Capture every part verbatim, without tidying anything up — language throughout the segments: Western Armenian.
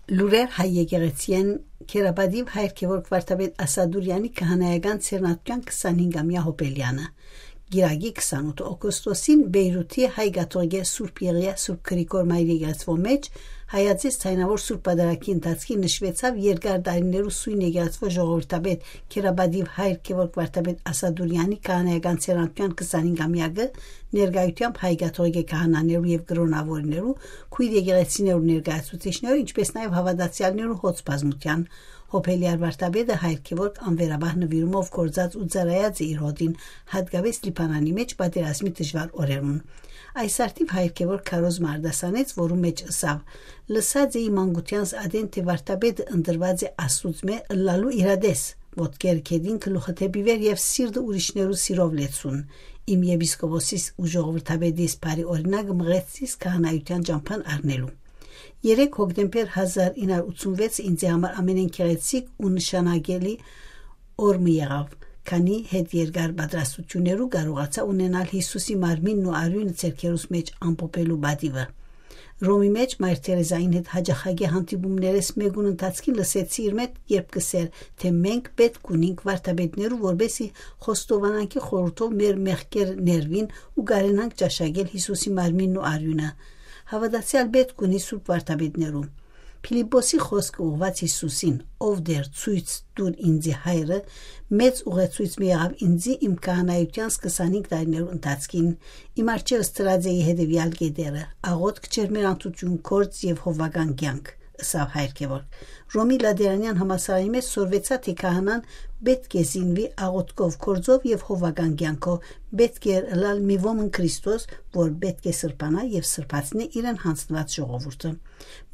Լուրեր հայ եկեղեցիէն. Քերապատիւ հայր Գեորգ Վարդապետ Ասադուրեանի քահանայական ձեռնատուեան քսանհինգամեայ յոբելեանը։ Կիրակի քսանութ օգոստոսին Բեյրութի հայ կաթողիկէ Սուրբ Եղիա Սուրբ Գրիգոր Մայր եկեղեցւոյ մէջ հայաձեզ ձայնաւոր Սուրբ Պատարագի ընթացքին նշուեցաւ երկար տարիներու սոյն եկեղեցւոյ ժողովրդապետ Քերապատիւ հայր Գեորգ Վարդապետ Ասադուրեանի քահանայական ձեռնատուեան քսանհինգամեակը, ներկայութեամբ հայ կաթողիկէ քահանաներու եւ կրօնաւորներու, քոյր եկեղեցիներու ներկայացուցիչներու, ինչպէս նաեւ հաւատացեալներու հոծ բազմութեան։ Յոբելեար վարդապետը հայր Գեորգ անվերապահ նուիրումով գործած ու ծառայած է իր հօտին, յատկապէս Լիբանանի մէջ պատերազմի դժուար օրերուն։ Այս առթիւ հայր Գեորգ քարոզմը արտասանեց, որու մէջ ըսաւ. «Լսած էի մանկութեանս ատեն, թէ վարդապետը ընտրուած է Աստուծմէ ըլլալու իրատես, ոտքերը գետին գլուխը դէպի վեր եւ սիրտը ուրիշներու սիրով լեցուն։ Իմ եպիսկոպոսիս ու ժողովրդապետիս բարի օրինակը մղեց զիս քահանայութեան ճամբան առնելու»։ Երեք հոկտեմբեր հազար ինը հարյուր ութսունվեց ինձի համար ամենէն գեղեցիկ ու նշանակալի օր մը եղաւ, քանի հետ երկար պատրաստություններու կարողացայ ունենալ Յիսուսի մարմինն ու արիւնը ձեռքերուս մէջ ամփոփելու պատիւը։ Ռոմի մէջ Մայր Թերեզային հետ յաճախակի հանդիպումներէս մէկուն ընթացքին լսեցի իր մէջ, երբ կ'ըսէր, թէ մենք պէտք ունինք վարդապետներու, որպէսզի խոստովանանքի խորհուրդով մեր մեղքեր ներուին ու կարենանք ճաշակել Յիսուսի մարմինն ու արիւնը։ Հաւատացեալ պէտք ունի սուրբ վարդապետներու։ Փիլիպպոսի խօսքը ուղղուած Յիսուսին, «Ով Տէր, ցոյց տուր ինծի Հայրը», մեծ ուղեցոյց մը եղաւ ինծի իմ քահանայութեանս քսանհինգ տարիներու ընթացքին։ Իմ առջեւս դրած էի հետեւեալ կետերը. աղօթք, ջերմեռանդութիւն, գործ եւ հովուական կեանք, ըսաւ հայր Գեորգ։ Ռոմի Լատերանեան համալսարանի մէջ սորվեցայ, թէ քահանան պէտք է զինուի աղօթքով, գործով եւ հովուական կեանքով, պէտք էր ըլլալ մի ոմն Քրիստոս, որ պէտք է սրբանայ եւ սրբացնէ իրեն յանձնուած ժողովուրդը։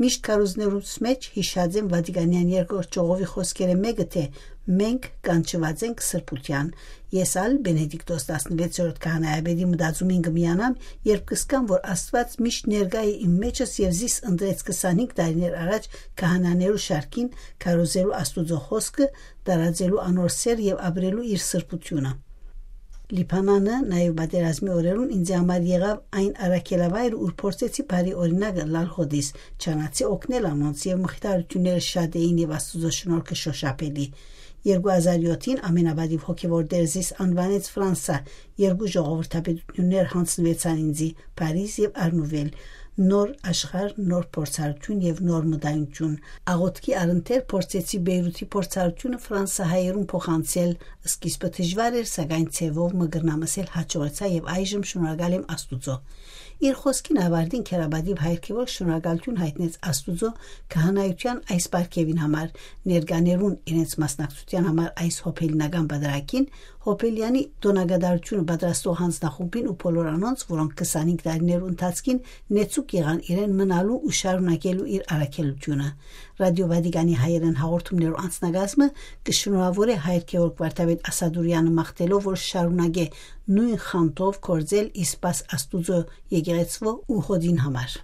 Միշտ քարոզներուս մէջ յիշած եմ Վատիկանեան երկրորդ ժողովի խօսքերէն մէկը, թէ «Մենք կանչուած ենք սրբութեան»։ Ես ալ Բենեդիկտոս տասնվեցերորդ քահանայապետի մտածումին կը միանամ, երբ կ'զգամ, որ Աստուած միշտ ներկայ է իմ մէջս եւ զիս ընտրեց քսանհինգ տարիներ առաջ քահանաներու շարքին, քարոզելու Աստուծոյ խօսքը, տարածելու անոր սէր եւ ապրելու իր սրբութիւնը։ Լիբանանը նաեւ պատերազմի օրերուն ինձի համար եղաւ այն առաքելավայրը, ուր փորձեցի բարի օրինակ ըլլալ հօտիս, չանացի օգնել անոնց, եւ մխիթարութիւնները շատ էին եւ Աստուծոյ շնորհքը շոշափելի։ Երկու հազար յոթին ամենապատիւ հոգեւոր տէր զիս անուանեց Ֆրանսա, երկու ժողովրդապետութիւններ յանձնուեցան ինձի, Փարիզ եւ Արնուվել, նոր աշխարհ, նոր փորձառութիւն եւ նոր մտայնութիւն։ Աղօթքի առընթեր փորձեցի Բեյրութի փորձառութիւնը ֆրանսահայերուն փոխանցել, սկիզբը դժուար էր, սակայն ձեւով մը կրնամ ըսել յաջողեցայ եւ այժմ շնորհակալ եմ Աստուծոյ։ Իր խօսքին աւարտին քերապատիւ հայր Գեորգ շնորհակալութիւն յայտնեց Աստուծոյ քահանայութեան այս պարգեւին համար, ներկաներուն իրենց մասնակցութեան համար այս յոբելինական պատարագին, յոբելեանի տօնակատարութիւնը պատրաստող յանձնախումբին ու բոլոր անոնց, որոնք քսանհինգ տարիներու ընթացքին նեցուկ եղան իրեն մնալու ու շարունակելու իր առաքելութիւնը։ Ռադիօ Վատիկանի հայերէն հաղորդումներու անձնակազմը կը շնորհաւորէ հայր Գեորգ Վարդապետ Ասադուրեանը, մաղթելով, որ շարունակէ նոյն խանդով գործել ի սպաս Աստուծոյ եկեղեցւոյ ու հօտին համար։